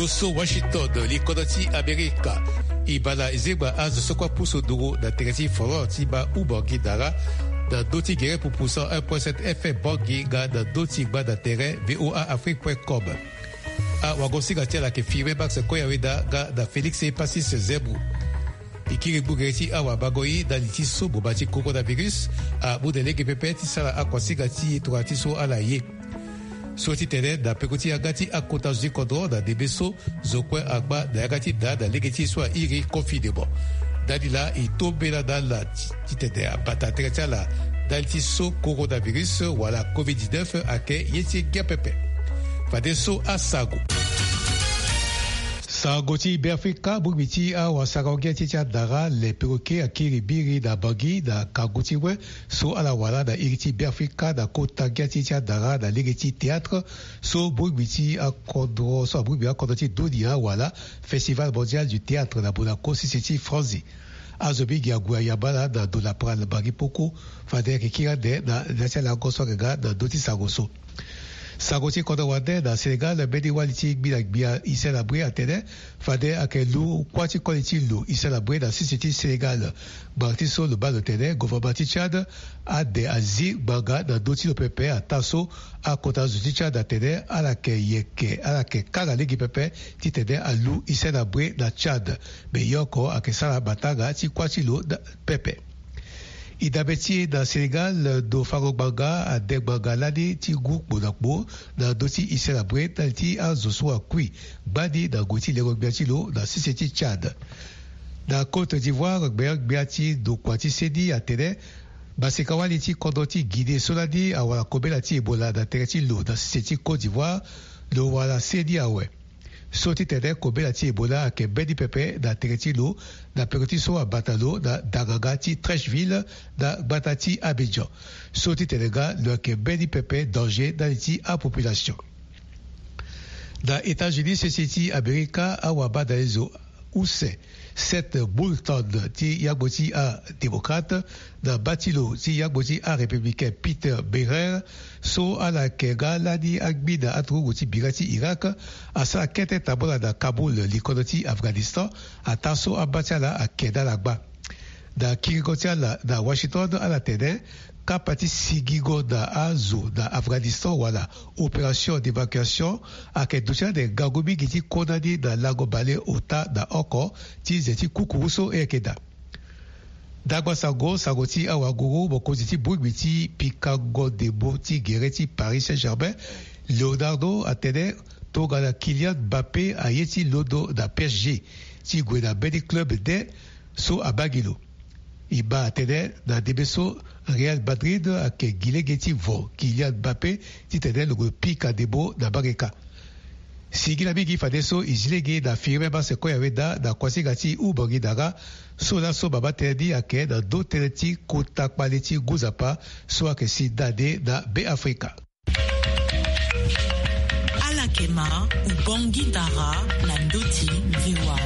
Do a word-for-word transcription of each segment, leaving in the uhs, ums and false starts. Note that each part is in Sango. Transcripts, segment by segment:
So Washington, likodro ti Amerika. E baa na ezengba azo so kue apusu nduru na tere ti folklore ti baa Ubangi Dara na ndö ti gere pupu cent un point sept F M Bangui nga na ndö ti gbanda tere V O A Afrique point com. Awagosinga ti ala ayeke Firmin Max Koyaweda nga na Félix Epacis Zebou. E kiri gbu gere ti awabango ye ndali ti so boma ti coronavirus amu na lege pepe ti sara akuasinga ti e tongana ti so ala ye. So ti tene na peko ti yanga ti akota zo ti kodro na ndembe so zo kue agba na yanga ti daa na lege ti e so airi confinement. Ndali laa e to mbela na ala ti titene abata tere ti ala ndali ti so coronavirus wala covid dix-neuf ayeke ye ti ngia pepe. Fadeso asango. Sango ti Beafrika, bongbi ti awasango ngia ti e ti adara le peroke akiri biri na Bangui na kangu ti we so ala wara na iri ti Beafrika na kota ngia ti e ti adara na lege ti théâtre so bongbi ti akodro so abongbi akodro ti dunia awara Festival Mondial du Théâtre na Monaco sese ti Franzi. Azo mingi ague ayamba ala na ndo na prale Bangui poko. Fade ayeke kiri ande na ya ti alango so ayeke nga na ndö ti sango so. Sango ti kodro wande na Sénégal, mbeni wali ti gbi na gbia Hissène Habré atene fade ayeke lu kuâ ti koli ti lo Hissène Habré na sese ti Sénégal. Ngbanga ti so lo baa lo tene gouvernement ti Tchad ade azi ngbanga na ndö ti lo pepe ataa so akota zo ti Tchad atene ala yeke yeke, ala yeke kanga lege pepe titene alu Hissène Habré na Tchad. Me ye oko ayeke sara matanga ti kuâ ti lo pepe. E dabe ti e na Sénégal, ndo fango ngbanga ade ngbanga lani ti ngu kpo na kpo na ndö ti Hissène Habré ndali ti azo so akui gbani na ngoi ti lengo gbia ti lo na sese ti Tchad. Na Côte d'Ivoire, gbeangbia ti ndokua ti seni atene maseka-wali ti kodro ti Guinée so lani awara kobela ti Ebola na tere ti lo na sese ti Côte d'Ivoire, lo wara seni awe. So ti tene kobela ti Ebola ayeke mbeni pepe na tere ti lo na peko ti so abata lo na danganga ti Treichville na gbata ti Abidjan. So ti tene nga lo yeke mbeni pepe danger ndali ti apopulation. Na États-Unis sese ti Amerika, awabadalezo use Seth Moulton ti yangbo ti adémocrate na bâ ti lo ti yangbo ti arépublicain Peter Beirer, so ala yeke nga lani angbi na aturugu ti bira ti Irak, asara kete tambula na Kaboul, likodo ti Afghanistan, ataa so abâ ti ala ayeke na ala gbâ. Na kiringo ti ala na Washington, ala tene kapa ti sigingo na azo na Afghanistan wala opération d'évacuation ayeke duti ande ngangu mingi ti kondani na lango bale ota na oko ti ze ti kukuru so e yeke daa. Dagba sango, sango ti awanguru, mokonzi ti bongbi ti pikango ndembo ti gere ti Paris Saint-Germain, Leonardo, atene tongana Kylian Mbappé aye ti londo na P S G ti gue na mbeni club nde so abaa gi lo. E baa atene na ndembe so Real Madrid ayeke gi lege ti vo Kylian Mbappé titene lo gue pika ndembo na mbage kâ. Singila mingi fadeso e zi lege na Firmin Max Koyaweda na kuasinga ti Ubangi Dara, so laso mama tënë ni ayeke na ndö tënë ti kota kpale ti ngu nzapa so ayeke si nda nde na Beafrika. Ala yeke ma Ubangui Dara na ndö ti V O A.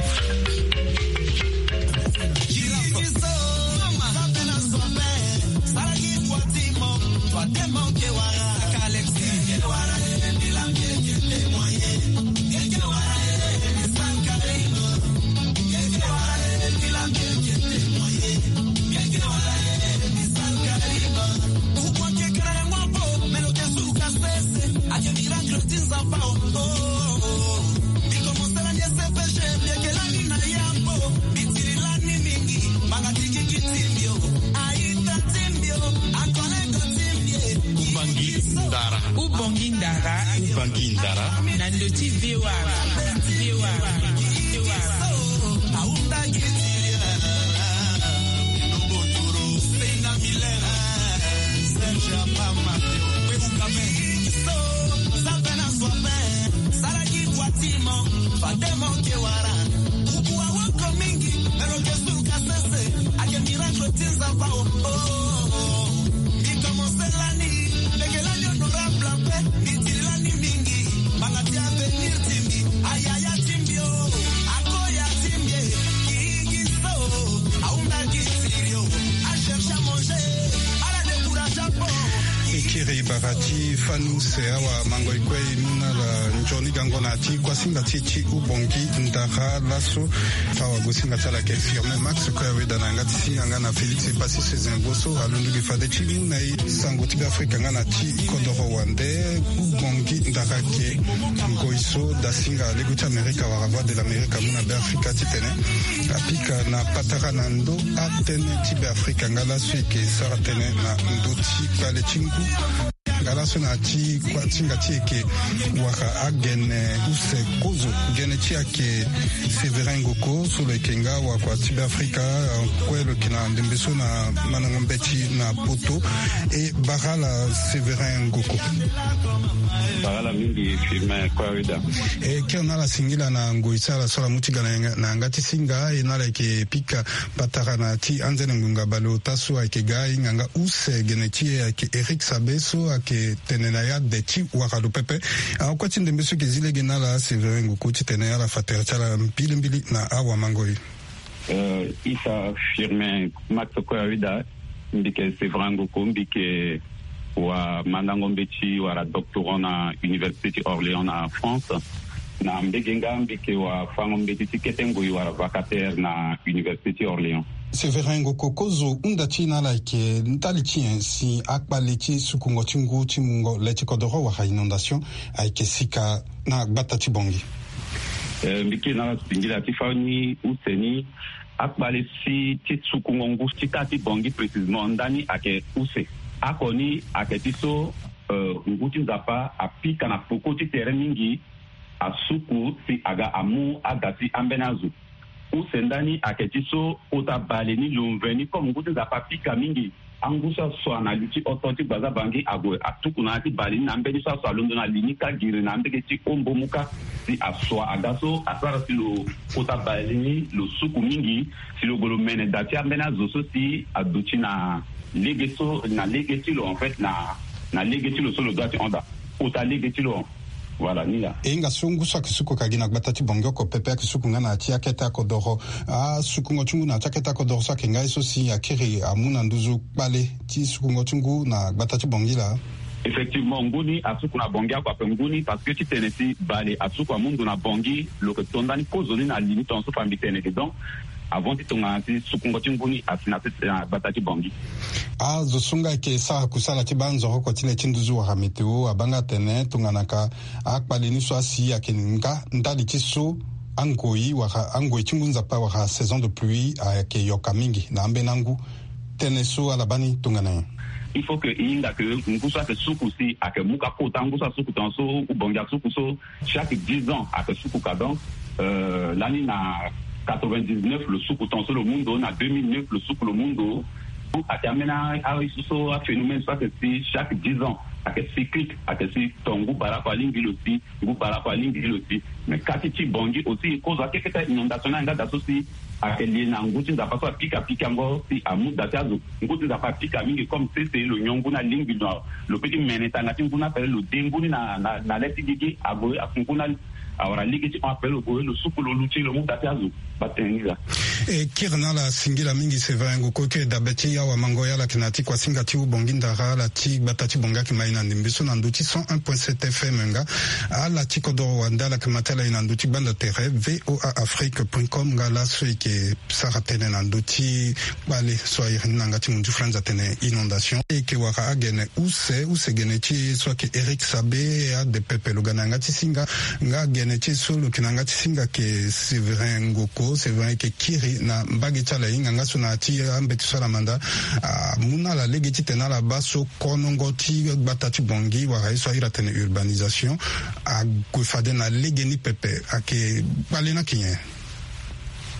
Ubangi Ndara. Ubangi Ndara. Ubangi Ndara. Na ndö ti V O A. V O A. V O A. E bara ti fani use awa mango e kue e mu na ala nzoni gango na ti kuasinga ti e ti Ubongi Ndara laso. Awagosinga ti ala ayeke Firmin Max Koyaweda na yanga ti singa nga na Félix Epassi Sezin Boso alondo gi fade ti mu na e sango ti Beafrika nga na ti kodoro wande. Ubongi Ndara ayeke ngoi so dasinga lego ti Amerika wala Voix de l'Amerique amu na Beafrika titene apika na patara na ndo atënë ti Beafrika nga laso e yeke sara tënë na ndö ti kpale ti ngu. Nga laso na ti kuasinga ti e yeke wara agene use kozo. Gene ti e ayeke Séverin Ngoko so lo yeke nga wakua ti Beafrika, kue lo yeke na ndembe so na mandango mbeti na poto. E bara ala Séverin Ngoko. Bara ala mingi Firmin Koyaweda. E kiri na ala singila na ngoi so ala so ala mu ti ga na yanga ti singa, e na ala yeke pika patara na ti anzene ngbonga baleota so ayeke ga e hinga nga use gene ti e ayeke Éric Sabe so ayeke tene na ya de ti wara lo pepe. Akua ti ndembe so e yeke zi lege na ala Séverin Ngoko titene ala fa tere ti ala mbilimbili na awamango e. Euh, Issa Firmin Max Koyaweda, mbi yeke Séverin Ngoko, mbi yeke wamandango mbeti wala doctorant na Université ti Orléans na France. Na mbege nga mbi yeke wafango mbeti ti kete ngoi wala vacataire na Université ti Orléans. Séverin Ngoko, kozo hunda ti e na ala ayeke ndali ti nyen si akpale ti sukungo ti ngu ti mungo le ti kodoro wala inondation ayeke sika na gbata ti Bangui? Eh, mbi kiri na ala singila ti fani use ni. Akpale si ti sukungo ngu ti kâ ti Bangui précisément ndani ayeke use. Oko ni ayeke ti so, eh, ngu ti Nzapa apika na peko ti tere mingi, asuku si aga amu ada ti ambeni azo. Use ndani ayeke ti so kota bale ni lo mveni comme ngu ti Nzapa apika mingi. Angu so asua na li ti oto ti Gbaza Bangui ague atuku na ya ti bale ni na ambeni so asua alondo na li ni kâ giri na ambege ti Ombomu kâ. Si asua aga so asara si lo kota bale ni lo suku mingi, si lo gue lo mene da ti ambeni azo so si aduti na lege so, na lege ti lo en fait, na, na lege ti lo so lo dua ti hon daa. Kota lege ti lo. Voilà, ni laa. E hinga so ngu so ayeke suku ka gi na gbata ti Bangui oko pepe ayeke suku nga na ya ti akete akodoro. Asukungo ti ngu na ya ti akete akodoro so ayeke nga ye so si akiri amu na nduzu kpale ti sukungo ti ngu na gbata ti Bangui laa? Effectivement, ngu ni asuku na Bangui oko ape ngu ni parce que titene si bale asuku amu ndo na Bangui, lo yeke to ndani kozo ni na li ni tongaso fa mbi tene ke. Donc, avant ti tongana ti sukungo ti ngu ni asi na tete na gbata ti Bangui. Azo so nga ayeke sara kusala ti baa nzoroko ti le ti nduzu wala météo abaa nga atene tongana ka akpale ni so asi ayeke nga ndali ti so angoi wala angoi ti ngu nzapa wala saison de pluie ayeke yoka mingi na ambeni angu. Tënë so ala baa ni tongana nyen? Il faut que e hinga ke ngu so ayeke suku si ayeke mu ka kota ngu so asuku tongaso ou Bangui asuku so chaque dix ans ayeke suku ka. Donc, euh, lani na quatre-vingt-dix-neuf lo suku tongaso lo mu ndo, na deux mille neuf lo suku lo mu ndo. Donc ayeke ambeni a, a, so, so aphénomène so ayeke si chaque dix ans ayeke cyclique, ayeke si ton ngu baleoko alingbi lo si, ngu baleoko alingbi lo si. Mais kâ ti ti Bangui aussi kozo akeketa inondation ni ayeke nga da so si ayeke lie na ngu ti nzapa so apika pikango si amu da ti azo. Ngu ti nzapa apika mingi comme sese lo nyon ngu ni alingbi lo, lo peut ti mene tanga ti ngu ni ape lo de ngu ni na, na, na le ti gigi ague afu ngu ni. Awara lege ti hon ape lo gue lo suku lo luti lo mu da ti azo. Baa tënë ni laa. E kiri na ala singila mingi Séverin Ngoko, e kiri dabe ti awamango, ala yeke na ya ti kuasinga ti Ubongi Ndara, ala ti gbata ti Bangui ayeke ma e na ndembe so na ndö ti cent un point sept F M nga. Ala ti kodoro wande ala yeke ma ti ala e na ndö ti gbanda tere V O A Afrique point com nga laso e yeke sara tënë na ndö ti kpale so a iri ni na yanga ti mundu ti France atene inondation. E yeke wara agene use, use gene ti e so ayeke Éric Sabe, ade pepe lo ga na yanga ti singa. Nga gene ti e so lo yeke na yanga ti singa ayeke Séverin Ngoko. Séverin ayeke kiri na mbage ti ala e hinga nga so na ya ti ambeti so ala manda amu na ala lege titene ala baa so konongo ti gbata ti Bangui wala ye so a iri atene urbanisation ague fade na lege ni pepe. Ayeke kpale ni ayeke nyen?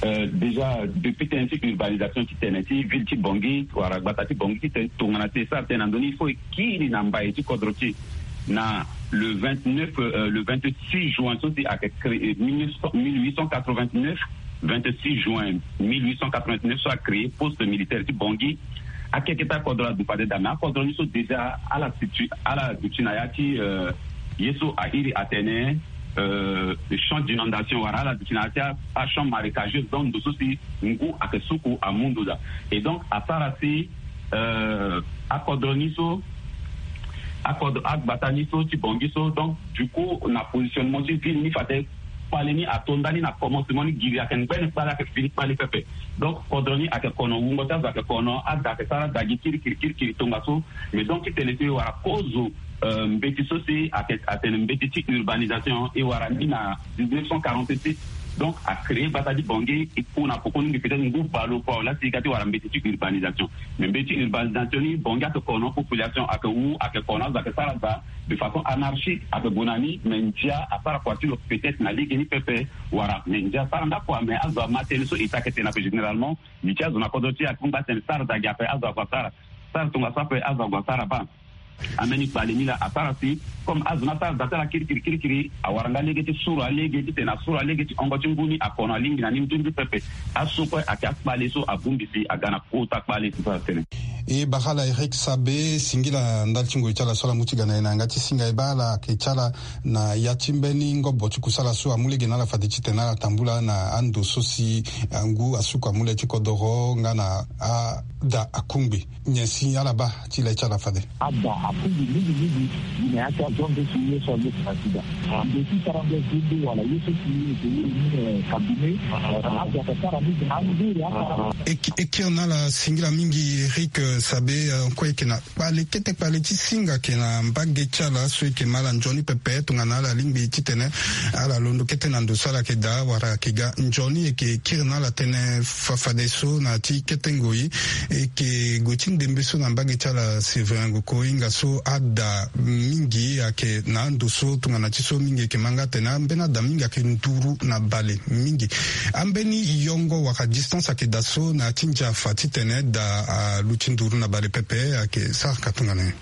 Euh, déjà, depuis tënë ti urbanisation ti tene ti ville ti Bangui wala gbata ti Bangui ti tene tongana ti e sara tënë na ndö ni, il faut e kiri na mbai ti kodro ti e. Na le vingt-neuf, euh, le vingt-six juin so si ayeke créé, mille neuf cent, mille huit cent quatre-vingt-neuf, vingt-six juin mille huit cent quatre-vingt-neuf so acréé poste militaire ti Bangui. Akeketa akodro aduti fade daa, mais akodro ni so déjà ala situ, ala duti na ya ti, euh, ye so a iri atene, euh, champ d'inondation wala ala duti na ya ti a, a champ marécageux, donc ndo so si ngu ayeke suku amu ndo daa. Et donc asara si, euh, akodro ni so akodro agbata ni so ti Bangui so. Donc du coup na positionnement ti ville ni fade kpale ni ato ndani na commencement ni giri ayeke ngbene kpale ayeke fini kpale pepe. Donc kodro ni ayeke kono wungo ti azo ayeke kono ada ayeke sara ada gi kirikiri kirikiri tongaso. Mais donc ti tene so e wara kozo mbeti so si ayeke atene mbeti ti urbanisation e wara ni na dix-neuf cent quarante-six. Donc a créer gbata ti Bangui e ku na poko ni ngi peut-être ngu bale oko awe la si e ga ti wara mbeti ti urbanisation. Mais mbeti urbanisation ni Bangui ayeke kono population ayeke wu ayeke kono azo ayeke sara da de façon anarchique ayeke gue na ni. Mais ndia asara kua ti lo peut-être na lege ni pepe wala mais ndia asara ndako awe mais azo ama tënë so e ta ayeke tene ape généralement. Li ti azo na kodro ti e akungba atene sara da gi ape azo ague asara sara tongaso ape azo ague asara baa. Ambeni kpale ni laa asara si comme azo ni asara da ti ala kirikiri kirikiri awara nga lege ti suru alege titene asuru alege ti hongo ti ngu ni akono alingbi na ni nzunzu pepe. Aso kue ayeke akpale so abongbi si aga na kota kpale ti so atene. E bara ala Eric Sabe singila ndali ti ngoi ti ala so ala mu ti ga na e na yanga ti singa e bara ala ayeke ti ala na ya ti mbeni ngobo ti kusala so amu lege na ala fade titene ala tambula na ando so si ngu asuku amu le ti kodoro nga na ada akungbi. Nyen si ala baa ti le ti ala fade? Ada akungbi mingi mingi. Gi na ya ti azo ande so ye so ande si na sida ande ti tara nde zende wala ye so si ye eke ye ni kabine. Azo ake sara mingi na angeri atara. E kiri na ala singila mingi Eric Sabe. Kue eke na kpale kete kpale ti singa ake na mbage ti ala so eke ma ala nzoni pepe tongana ala lingbi titene ala londo kete na ndo so ala yeke daa wala ake ga nzoni eke kiri na ala tënë fafadeso na ya ti kete ngoi. Eke gue ti ndembe so na mbage ti ala Séverin Ngoko hinga so ada mingi ake na ando so tongana ti so mingi eke ma nga atene ambeni ada mingi ake nduru na bale mingi. Ambeni yongo wala distance ake daa so na ya ti ndia afa titene da aluti nduru na bale pepe ake sara ka tongana nyen?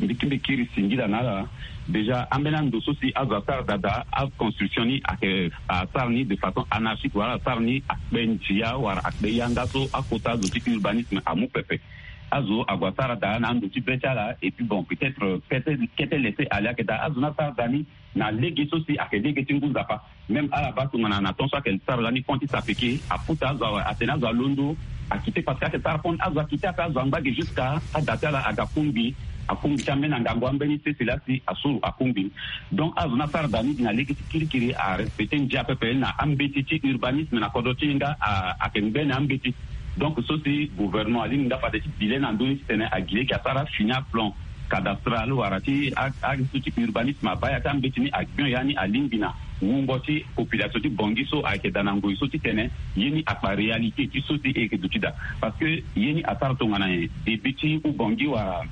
Mbi kiri singila na ala. Déjà ambeni ando so si azo asara daa daa aconstruction ni ayeke asara ni de façon anarchique wala asara ni akpe ndia wala akpe yanga so akota azo ti urbanisme amu pepe. Azo ague asara daa na ando ti be ti ala et puis bon peut-être kete kete laisser aller ayeke daa azo ni asara daa ni na lege so si ayeke lege ti ngu nzapa. Même ala baa tongana na temps so ayeke sara lani pont ti sapeke aputa azo awe atene azo alondo akite parce que ayeke sara pont azo akite ape azo angba ge jusqu'à ada ti ala aga kungbi. Akungbi ti ambeni angangu ambeni sese laa si asuru akungbi. Donc azo ni asara daa ni gi na lege ti kirikiri arespecte ndia pepe na ambeti ti urbanisme na kodro ti e nga ayeke ngbene ambeti. Donc so si gouvernement alingbi nga fade ti bi le na ndö ni titene agi lege asara fini aplan cadastral wala ti azo ti urbanisme abaa ya ti ambeti ni agbio ya ni alingbi na wungo ti population ti Bangui so ayeke daa na ngoi so titene ye ni akpa réalité ti so si e yeke duti daa. Parce que ye ni asara tongana nyen début ti u Bangui wala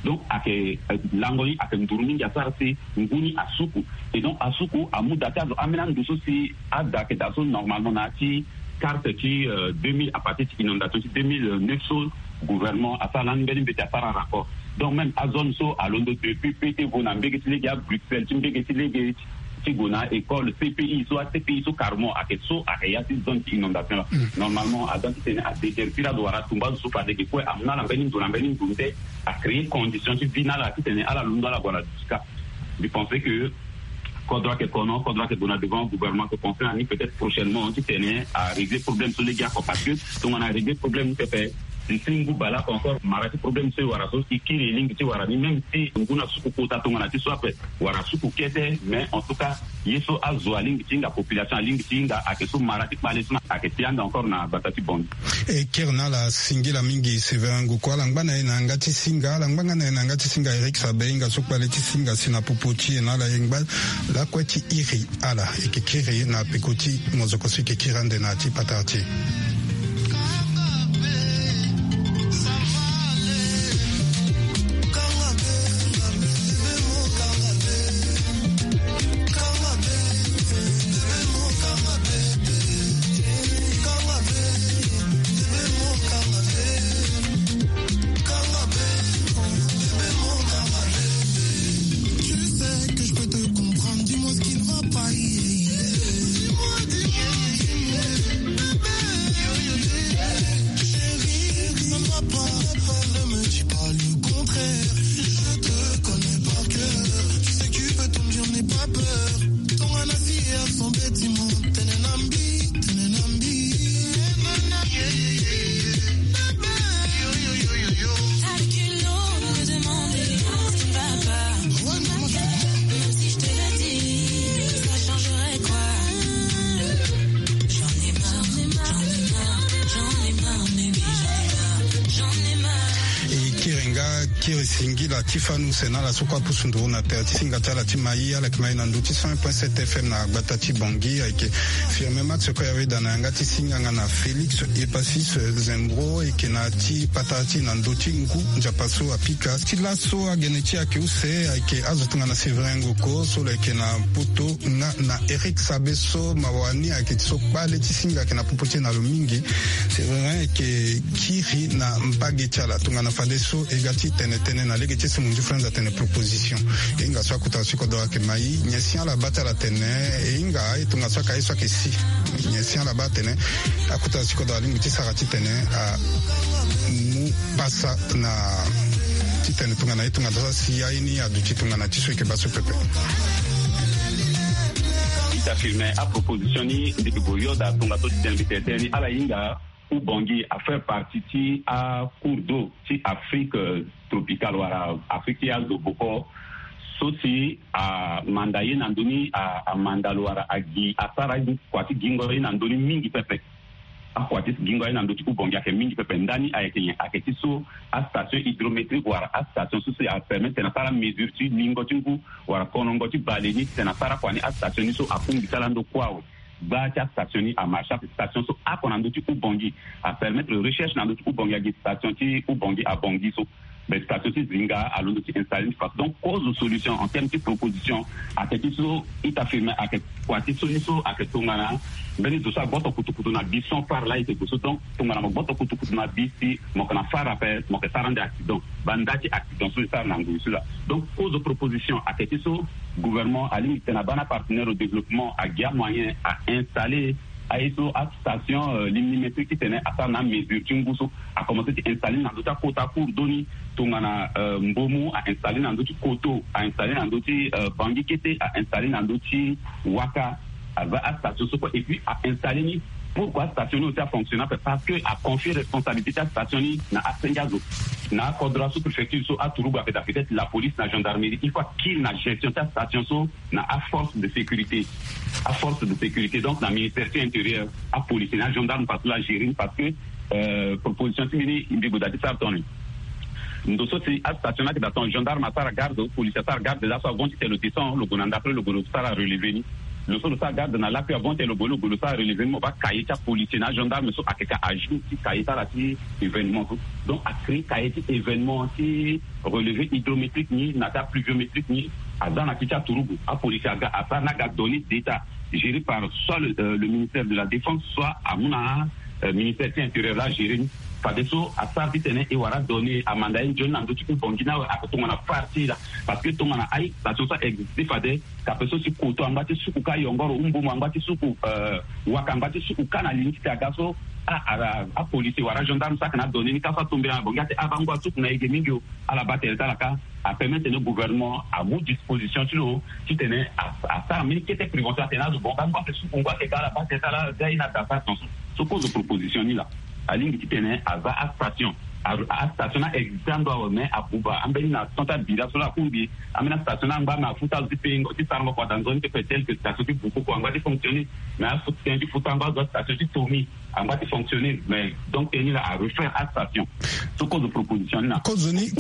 donc ayeke lango ni ayeke nduru mingi asara si ngu ni asuku. Et donc asuku amu daa ti azo ambeni ando so si ada ayeke daa so normalement na ya ti carte ti deux mille à partir ti inondation ti deux mille neuf so gouvernement asara lani mbeni mbeti asara rapport. Donc même azone so alondo depuis pe ti vo na mbege ti lege a Bruxelles ti mbege ti lege ti gue na école C P I so a C P I so carrément ayeke so ayeke ya ti zone ti inondation laa. Normalement aza titene adéterpire azo wala atumba azo so fade ge kue amu na ala mbeni ndo na mbeni ndo nde acréer condition ti vie na ala titene ala londo ala gue na dusika. Mbi pense que kodro ayeke kono kodro ayeke gue na devant gouvernement ayeke pense na ni peut-être prochainement titene arégler problème so lege oko parce que tongana arégler problème ni pepe si si ngu baleoko encore mara ti problème so e wara so e kiri e lingbi ti wara ni même si ngu na suku kota tongana ti so ape wara suku kete mais en tout cas ye so azo alingbi ti hinga population alingbi ti hinga ayeke so mara ti kpale so na ayeke ti ande encore na gbata ti Bangui. E kiri na ala singila mingi Séverin Ngoko ala ngba na e na yanga ti singa ala ngba nga na e na yanga ti singa Eric Sabe hinga so kpale ti singa si na popo ti e na ala e ngba lakue ti iri ala e yeke kiri na peko ti mozoko so e yeke kiri ande na ya ti patara ti e. Kiri singila ti fani use na ala so kue apusu nduru na tere ti singa ti ala ti mai. Ala yeke mai na ndö ti cent point sept F M na gbata ti Bangui. Ayeke Firmin Max kue ayeda na yanga ti singa nga na Félix Epasis Zembro. Ayeke na ti patara ti na ndö ti ngu nzapa so apika ti laso agene ti ayeke use ayeke azo tongana Séverin Ngoko so lo yeke na poto nga na Eric Sabe so mawa ni ayeke ti so kpale ti singa ayeke na popo ti e na lo mingi. Séverin ayeke kiri na mbage ti ala tongana fadeso e ga ti tene tënë na lege ti e so mo nzi frenz atene proposition. E hinga so akota so kodoro ayeke mai nyen si ala baa ti ala tene. E hinga aye tongaso aka ye so ayeke si nyen si ala baa atene. Akota so kodoro alingbi ti sara titene amu pasa na titene tongana ye tongana so asi aye ni aduti tongana ti so e yeke baa so pepe. Ita firme aproposition ni mbi ke gue yoda tongaso titene mbi tene tënë ni ala hinga Ubangui a faire partie ti acours d'eau ti Afrique tropicale wala Afrique ti azo boko. So si amanda ye na ndö ni amanda lo wala agi asara kua ti gingo ye na ndö ni mingi pepe. Akua ti gingo ye na ndö ti Ubangui ayeke mingi pepe. Ndani ayeke nyen? Ayeke ti so astation hydrométrique wala astation so si apermettre tena asara mesure ti lingo ti ngu wala konongo ti bale ni tena asara kua ni astation ni so akungbi ti ala ndo kue awe. Gbaa ti astation ni amarche ape station so oko na ndö ti Ubangui apermettre recherche na ndö ti Ubangui agi station ti Ubangui abangui so. Mais station ti zinga alondo ti installer ni façon donc cause solution en terme ti proposition. Ayeke ti so ita firme ayeke kua ti so ni so ayeke tongana mbeni zo so agboto kutukutu na bi sans phare laa e yeke gue so donc tongana mo gboto kutukutu na bi si mo yeke na phare ape mo yeke sara ande accident. Banda ti accident so e sara na ngoi so laa. Donc cause proposition ayeke ti so gouvernement alingbi tena abaa na apartenaire au développement agi amoyen a installer aye so astation limnimétrique titene asara na amesure ti ngu so akomense ti installer ni na ndö ti akota cours d'eau ni tongana mbomu a installer na ndö ti koto a installer na ndö ti bangi kete a installer na ndö ti waka. Aza astation so kue et puis a installer ni pourquoi astation ni aussi afonctionne ape parce que aconfie responsabilité ti astation ni na asenge azo na akodro asous-préfecture so aturugu ayeke daa peut-être la police na gendarmerie il faut akiri na gestion ti astation so na aforce de sécurité. Aforce de sécurité donc na ministère ti intérieur apolice na agendarme parce que la gérer ni parce que proposition ti mbi ni mbi gue daa ti sara tongana ni ndo so si astation ni ayeke daa tongana gendarme asara garde policier asara garde laso avant ti tene lo descend lo gue na ndapre lo gue lo sara relever ni. Lo so lo sara garde na lakui avant ti tene lo gue lo gue lo sara relever ni mo baa cahier ti apolicier na agendarme so ayeke ka ajour ti cahier ti ala ti événement so. Donc acréer cahier ti événement ti relever hydrométrique ni na ti apluviométrique ni aza na ti ti aturugu apolice aga asara ni aga donner d'état géré par soit le ministère de la défense soit amu na ministère ti intérieur laa géré ni. Fadeso asara titene e wara donner amanda ye nzoni na ndö ti Ubangui ni awe ake tongana phare ti e laa. Parce que tongana aye station so a existe fade kape so si koto angba ti suku ka yongoro umbomo angba ti suku waka angba ti suku ka na li ni titene aga so apolice wala agendarme so ake na adonner ni ka so atombela na Bangui ate abango asuku na ege mingi o. Ala baa tere ti ala ka apermettre tene gouvernement amu disposition ti lo titene asara mbeni kete prévention atene azo bon bango ake suku ngu ake ka ala baa tere ti ala ga ye na daa sara tonso. So kozo proposition ni laa alingbi titene aza astation astation ni a existe ando awe mais abuba ambeni na temps ti abira so laa akungbi ambeni astation ni angba na afuta azo ti pengo ti sarango kua daa nzoni ti pe tel que station ti bukoko angba ti fonctionner mais afuta tënë ti futa angba azo astation ti tomi angba ti fonctionner mais donc tënë ni laa arefaire astation. So kozo proposition ni na kozoni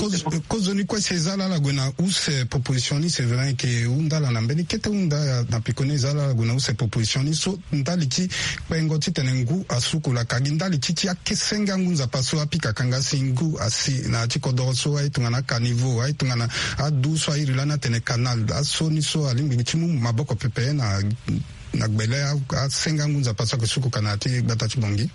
kozoni kue si eza laa ala gue na use proposition ni c'est vrai ke hunda ala na mbeni kete hunda na pekoni eza laa ala gue na use proposition ni so ndali ti kpengo titene ngu asuku laka gi ndali ti ti akesenge angu nzapa so apika kanga si ngu asi na ya ti kodoro so aye tongana akaniveau aye tongana adu so airi lani atene canal aso ni so alingbi ti mu maboko pepe na na gbele asenga ngu nzapa so ake suku kana ti gbata ti Bangui.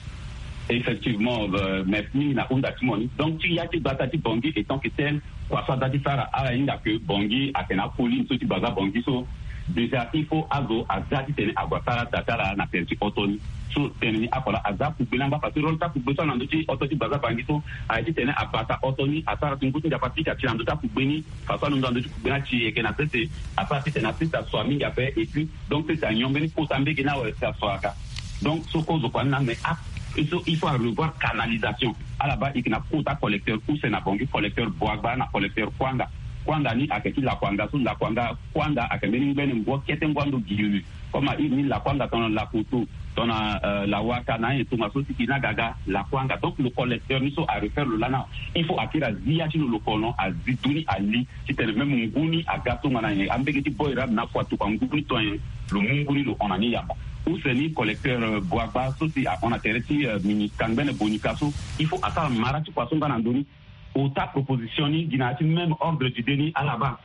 Effectivement, merci mingi na hunda ti mo ni. Donc ti ya ti gbata ti Bangui étant que tel kua so aza ti sara ala hinga que Bangui ake na acolline so ti baza Bangui so déjà il faut azo aza titene ague asara da ti ala na tere ti hoto ni. So tene ni akola aza akugbe ni angba parce que rôle ti akugbe so ala na ndö ti hoto ti baza Bangui so aye titene abata hoto ni asara ti ngu ti nzapa ti ka ti na ndö ti akugbe ni. Façon alondo na ndö ti kugbe ni ati e yeke na sese asara titene asese aso mingi ape et puis donc sese anyon mbeni kota mbege ni awe si aso aga. Donc so kozo kua ni na mais a il faut arevoir canalisation. Ala baa e yeke na kota collecteur use na Bangui collecteur boagba na collecteur kuanga. Kuanga ni ayeke ti lakuanga so lakuanga kuanga ayeke mbeni ngbene ngu akete ngu ando gilulu. Comme a iri ni lakuanga tongana lakoto, tongana, euh, lawaka na ayen tongaso si e na ga aga lakuanga. Donc lo collecteur ni so a refaire lo lani awe, il faut akiri azi ya ti lo, lo kono azi du ni ali titene même ngu ni aga tongana nyen, ambege ti boy rabe na fua tuku angu ni to nyen, lo mu ngu ni lo hon na ni yamba. Use ni collecteur, euh, Boagba so si ahon na tere ti, euh, mini kangbene Bonika so, il faut asara mara ti kua so nga na ndo ni. Ota proposition ni gi na ya ti même ordre d'idée ni ala baa.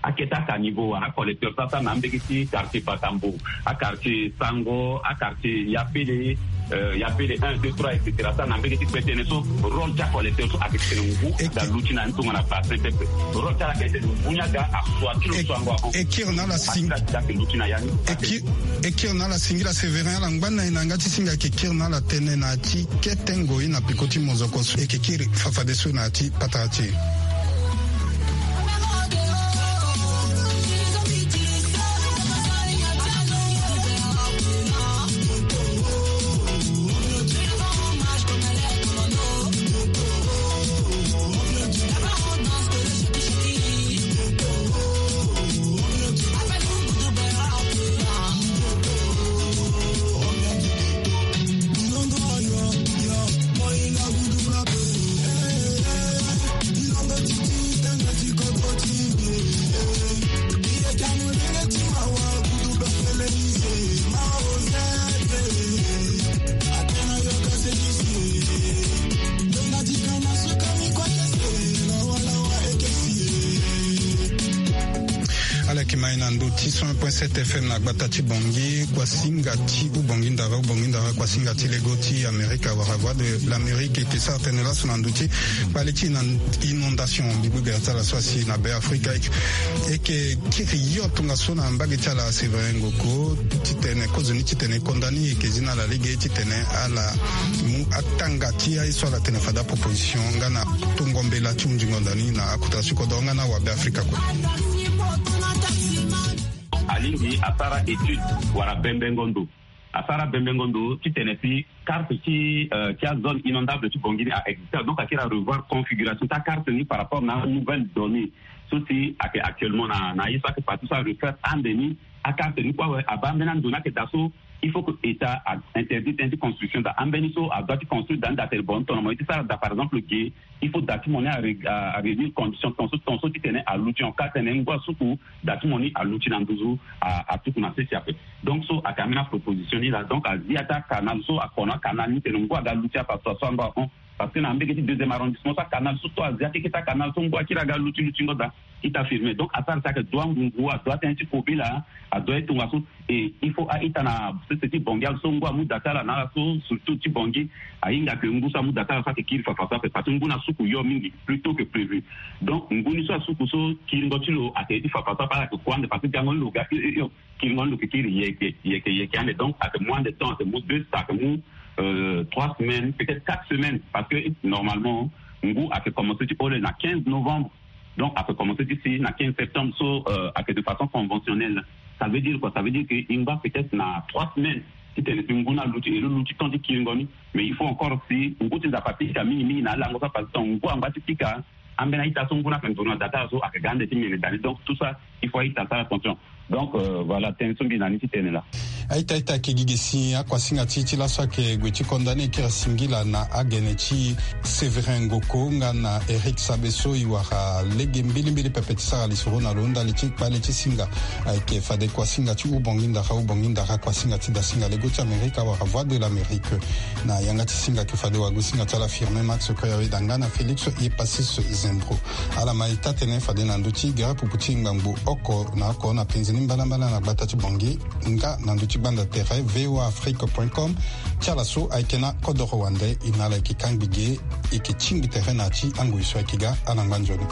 Akete aka niveau wala acollecteur so asara na ambege ti quartier Batambo, aquartier Sango, aquartier Yapele, euh, Yapele un, deux, trois, et cetera. Asara na ambege ti kue tënë so, rôle ti acollecteur so ayeke tene ngu aga luti na ni tongana bassin pepe. Rôle ti ala ayeke tene ngu ni aga asua ti lo so ango ahon. E kiri na ala sing- Asara ti ayeke luti na ya ni. E ki- e kiri na ala singila Sévérin, ala ngba na e na yanga ti singa ayeke kiri na ala tënë na ya ti kete ngoi na peko ti mozoko so e yeke kiri fafadeso na ya ti patara ti e. Ala yeke ma e na ndo ti cent un point sept F M na gbata ti Bangui, kuasinga ti Ubangui Ndara, Ubangui Ndara, kuasinga ti lego ti Amerika wala Voix de l'Amérique, e yeke sara tënë laso na ndo ti kpale ti na inondation mbi gbu gere ti ala so asi na Be Afrika. E yeke kiri yo tongaso na mbage ti ala Sévérin Ngoko titene kozoni titene e konda ni, e yeke zi na ala lege titene ala mu atanga ti aye so ala tene fade aproposition nga na tongo mbela ti hunzi ngonda ni na akota ti kodoro nga na awabe Afrika kue. Alingbi asara étude wala bembengo ndo. Asara bembengo ndo titene si carte ti, euh, ti azone inondable ti Bangui ni a existe. Donc akiri arevoir configuration ti acarte ni par rapport na anouvelle donnée so si ayeke actuellement na, na ye so ayeke parti so arefaire ande ni. Acarte ni kue awe abaa ambeni ando ni ayeke daa so il faut que État a interdit tënë ti construction daa. Ambeni so adoit ti construire daa ni daa tene bon, tongana mo ye ti sara daa par exemple ge, il faut daa ti mo ni a ré-, a, a réunir condition tonso tonso titene aluti en cas tene ngu asuku, daa ti mo ni aluti na nduzu, a, atuku na sese ape. Donc so ayeke ambeni aproposition ni laa. Donc azi ya ti acanal so, akono acanal ni tene ngu aga luti afa so, so ango ahon. Parce que na mbege ti deuxième arrondissement so acanal so, so azi akeke ti acanal so ngu akiri aga luti lutingo daa. Ita firme. Donc asara si ayeke dua ngungu, adua tënë ti kobela, adua ye tongaso. Et il faut a-ita na sese ti Bangui ala so ngu amu daa ti ala na ala so, surtout ti Bangui, ahinga ke ngu so amu daa ti ala so ayeke kiri fafa so ape, parce que ngu ni asuku yo mingi plus tôt que prévu. Donc ngu ni so asuku so kiringo ti lo ayeke ye ti fafa so ape, ala yeke kue ande parce que gango ni lo ga hio hio hio. Kiringo ni lo yeke kiri yeke yeke yeke ande. Donc ayeke mu ande temps, ayeke mu deux, ayeke mu, euh, trois semaines, peut-être quatre semaines, parce que normalement ngu ayeke commencé ti hole na quinze novembre. Donc ayeke commencé ti si na quinze septembre so, euh, ayeke de façon conventionnelle. Ça veut dire quoi? Ça veut dire que e ngba peut-être na trois semaines titene si ngu ni aluti, e lo luti temps ti kiringo ni. Mais il faut encore si ngu ti Nzapa pika mingi mingi na alango so, parce que ngu angba ti pika, ambeni a-ita so ngu ni ayeke nduru na daa ti ala so ayeke ga ande ti mene daa ni. Donc tout ça il faut a-ita asara attention. Donc, euh, voilà, tënë so mbi na ni ti tene laa. A-ita, a-ita ayeke gi ge si akuasinga ti e ti laso ayeke gue ti konda ni, e kiri asingila na agene ti Sévérin Ngoko nga na Eric Sabe so e wara lege mbilimbili pepe ti sara lisoro na lo ndali ti kpale ti singa. Ayeke fade kuasinga ti Ubangui Ndara, Ubangui Ndara, kuasinga ti dasinga lego ti Amerika wala Voix de l'Amérique. Na yanga ti singa ayeke fade wagosinga ti ala Firmin Max Koyaweda nga na Félix Yepasis Zembro. Ala ma e taa tënë fade na ndö ti gere pupu ti ngbangbo oko na oko na penze ni mbalambala na gbata ti Bangui nga na ndö ti gbanda tere V O A Afrique point com. Ti ala so ayeke na kodoro wande, e na ala yeke kangbi ge, e yeke tingbi tere na ya ti angoi so ayeke ga. Ala ngba nzoni.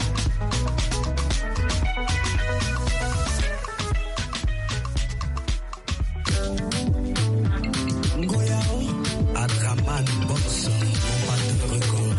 Ngoya o, Adraman Boss, mon batteur record.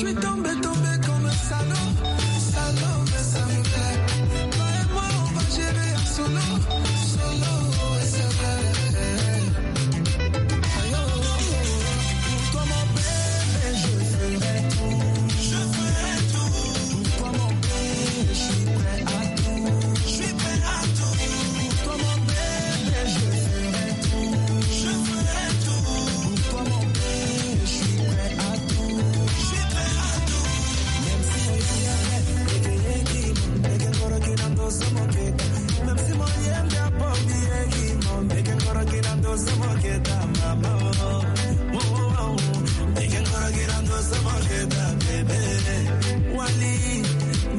Je suis tombé, tombé comme un salaud. Salaud, mais ça me plaît. Toi et moi, on va gérer en solo. Solo, et c'est vrai. Aïe, oh, oh, oh. Pour toi, mon bébé, je ferai tout. Je ferai tout. Pour toi, mon bébé, je suis prêt à tout. Je suis prêt à tout. Pour toi, mon bébé, je ferai tout. Je ferai tout. Pour toi, mon bébé, je suis prêt à tout. Je suis prêt à tout. Même si mon yem, yeke yeki mo, yeke ngoro ki na ndo so mo keta. Même si mon yem, ya po mi yeki mo, yeke ngoro ki na ndo so mo keta, mama, oh. Oh, oh, oh, oh. Yeke ngoro ki na ndo so mo keta, bébé. Wali.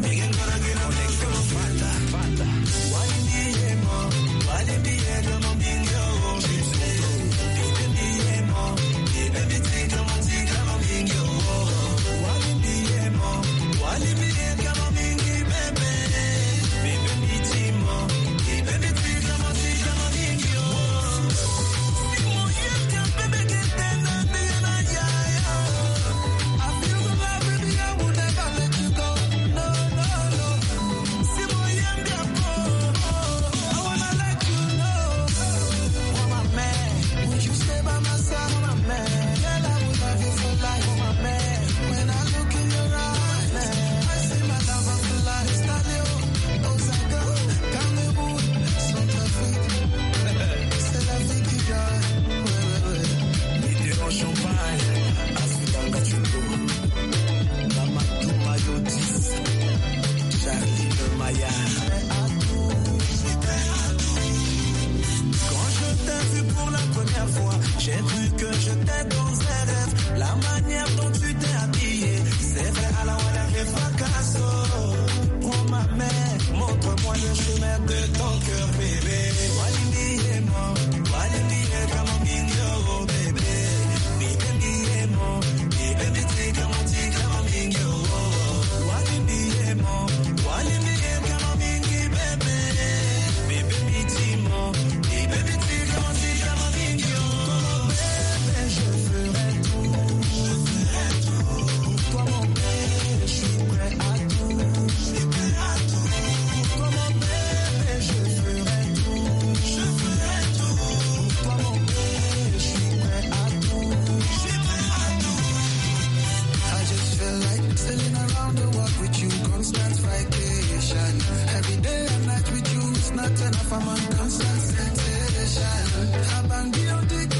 Yeke ngoro ki na ndo so mo keta. Wali mi ye mo, wali mi ye ka mo mingi, oh, oh, bébé. Bébé mi ye mo, bébé mi tika mo, tika mo mingi, oh, oh. Wali mi ye mo, wali mi ye ka mo mingi, bébé. Bébé mi ti mo, bébé mi tika mo, tika mo mingi, oh. Si mo ye ka bébé ke tena, tena ya, ya. I feel the love with you, I will never let you go. No, no, no. Si mo yem, I wanna let you know. Oh, my man, would you stay by my side? Oh, my man, girl, I will love you for life. Oh, my man, when I look in your eyes, I see my love of a lifestyle. Osaka, Cameroun, Centrafrique. C'est la vie qui gagne. Ouais, ouais, ouais. Mitterrand Champagne, Asutanga Chuko. Mamadou Mayotis, Charline Maya. Quand je t'ai vu pour la première fois, j'ai cru que j'étais dans un rêve. La manière dont tu t'es habillée, c'est vrai, à la wala ke fracasso. Prends ma main, montre-moi le chemin de ton cœur, bébé. Wali mi ye mo, wali mi ye ka mo mingi, oh, bébé. Mi ye mo, mi ye mi tika mo, tika mo mingi, oh. Wali mi ye mo, wali mi ye ka mo mingi, bébé. Bébé mi ti mo, bébé mi tika mo, tika mo mingi, oh. Bébé, je ferai tout, je ferai tout. Pour toi, mon bébé, je suis prêt à tout. Je suis prêt à tout. Pour toi, mon bébé, je ferai tout. Je ferai tout. Pour toi, mon bébé, je suis prêt à tout. Je suis prêt à tout. I just feel like sailing around the world with you, constant vacation. Every day and night with you, it's not enough, I'm on constant sensation. Abangi on dit que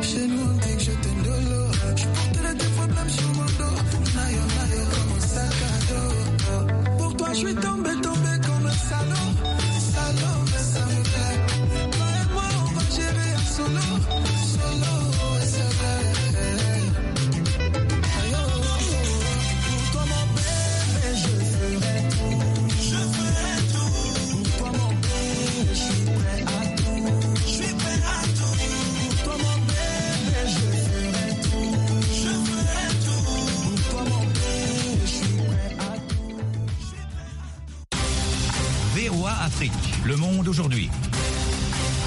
chez nous on dit que je t'aime de l'eau. Je porterai tes problèmes sur mon dos. Nayo, nayo, comme un sac à dos. Pour toi, je suis tombé, tombé comme un salaud. Salaud, mais ça me plaît. Toi et moi, on va gérer en solo. Solo, et c'est vrai. Aïe, oh, oh, oh. Pour toi, mon bébé, je ferai tout. Je ferai tout. Pour toi, mon bébé, je suis prêt à tout. Je suis prêt à tout. Pour toi, mon bébé, je ferai tout. Je ferai tout. Pour toi, mon bébé, je suis prêt à tout. Je suis prêt à tout. V O A Afrique, le monde aujourd'hui.